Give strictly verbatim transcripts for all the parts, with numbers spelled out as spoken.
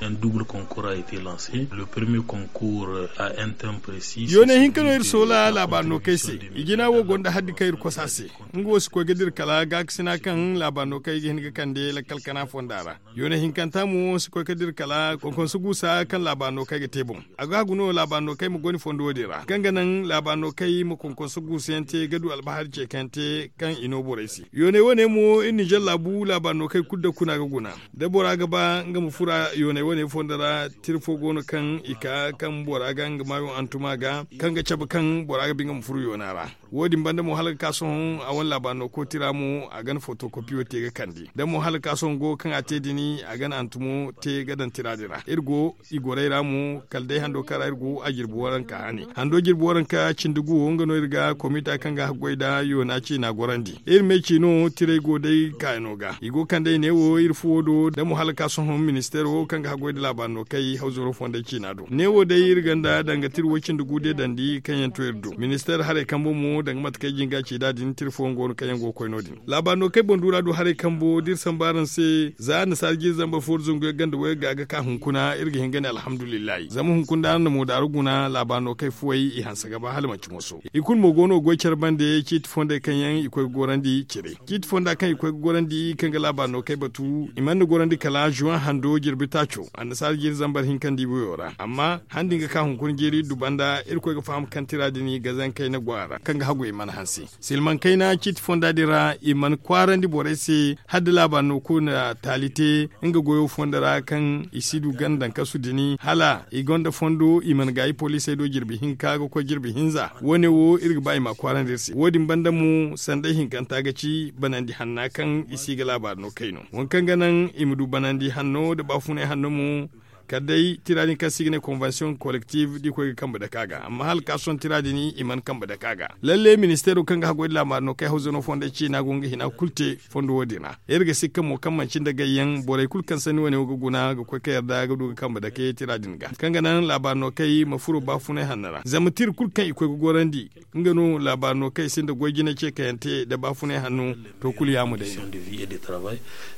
Un double concours a été lancé. Le premier concours a un thème précis. Yoonay hinka no iri soola laabaari no kay se. I jina wo gonda haddi kaŋ iri kosa se. Nga wo si koy ga dira kala gaakasina kaŋ laabaari no kay ga hin ga kande lakkal kana fonda ra. Yoonay hinkanta mo si koy ga dira kala konkonso guusa kaŋ laabaari no kay ga te boŋ. A ga hagu no laabaari no kay ma goy ni fondo wo- din ra kaŋ ga naŋ laabaari no kay ma konkonso guusa yaŋ te ga du albahari ce kaŋ yaŋ te kaŋ i no borey se. Yoonay wane mo iri ninzeer laabu laabaari no kay kulu da kuna ga guna. Da bora ga ba nga ma fura yoonay wane fondo ra, tira fo go no kaŋ i ka kaŋ bora ga nga maayo hantuma ga kaŋ ga cabe kaŋ bora ga ba nga ma furo yoona ra. Wo- din banda mo hala ga ka sohõ a wane laabaari no kooti ra mo a ga na fotokopiyo te ga kande da mo hala ga ka sohõ go kaŋ a te din a ga na hantumo te ga daŋ tira din ra iri go i gorey ra mo kala day hando kaŋ ra iri go a jirbi waranka hane hando jirbi waranka cindi guwo nga no iri ga komita kaŋ ga haggoy nda yoona ciina gorandi. Iri me ciino tirey go day kaayano ga i go kande i ne wo iri fuwo do da mo hala ga ka sohõ ministeero kaŋ ga haggoy nda laabaari no kay hawzuro fondey ciina do ne wo day iri ganda danga tira way cindi gu de dandi kaŋ yaŋ to iri do ministeero haray kambo mo danga mate kaŋ ay jinga ci nd'a din tira fooyaŋ go no kaŋ yaŋ go ga koy no- din. Laabaari no kay boŋ duura do haray kambo da iri samba araŋ se za annasaara jiiri zambar fo da zangu yaŋ ganda way ga ga ka hunkuna iri ga hin ga ne alhamdulillahi zama hunkuna da araŋ na moodaara guna laabaari no kay fuwey i hanse ga ba hala manci moso. I kulu mo go no ga goy care bande ciiti fondey kaŋ yaŋ i koy ga gorandi cire ciiti fonda kaŋ i koy ga gorandi kaŋ ga laabaari no kay batu i mana gorandi kala zuwan hando jirbi taaco annasaara jiiri zambar hinka nda i boyo ra amma handi nga ka hunkuna jiiri du banda iri koy ga faham kaŋ tira din gazankey na go a ra kaŋ ga hagu i mana hanse. Silmaŋ kayna ciiti fonda din ra i mana kwaarandi borey se hala da laabaari no kulu na taali te nga goyo fondo ra kaŋ i si du ganda nkasu din hala i gonda fondo i mana gaayi poliisey do jirbi hinka ga koy jirbi hinza wo- ne wo iri ga ba i ma a kwaarandi iri se wo- din banda mo sanday hinkanta ga ci banandi hanna kaŋ i si ga laabaari no kay no waŋ kaŋ ga naŋ i ma du banandi hanno nda baafunay hanno mo. Kala day tira din kaŋ se i ga ne konvensiyoŋ kolektif da i koy ga kambe dake a ga amma hala ga ka sohõ tira din i mana kambe dake a ga. Lalle ministeero kaŋ ga haggoy nda laabaari no kay hawzano fondey ciina go nga hina kulu te fondo wo- din ra iri ga sikka mo kaŋ manci nda gayyaŋ borey kulu kaŋ sanni wane wo ga guna ga koy ka yarda ga du ga kambe dake tira din ga kaŋ ga naŋ laabaari no kay ma furo baafunay hanno ra zama tira kulu kaŋ i koy ga gorandi nga no laabaari no kay sinda goy jine ce kaŋ yaŋ te nda baafunay hanno to kulu yaamo day no.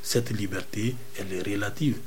Cette liberté elle est relative.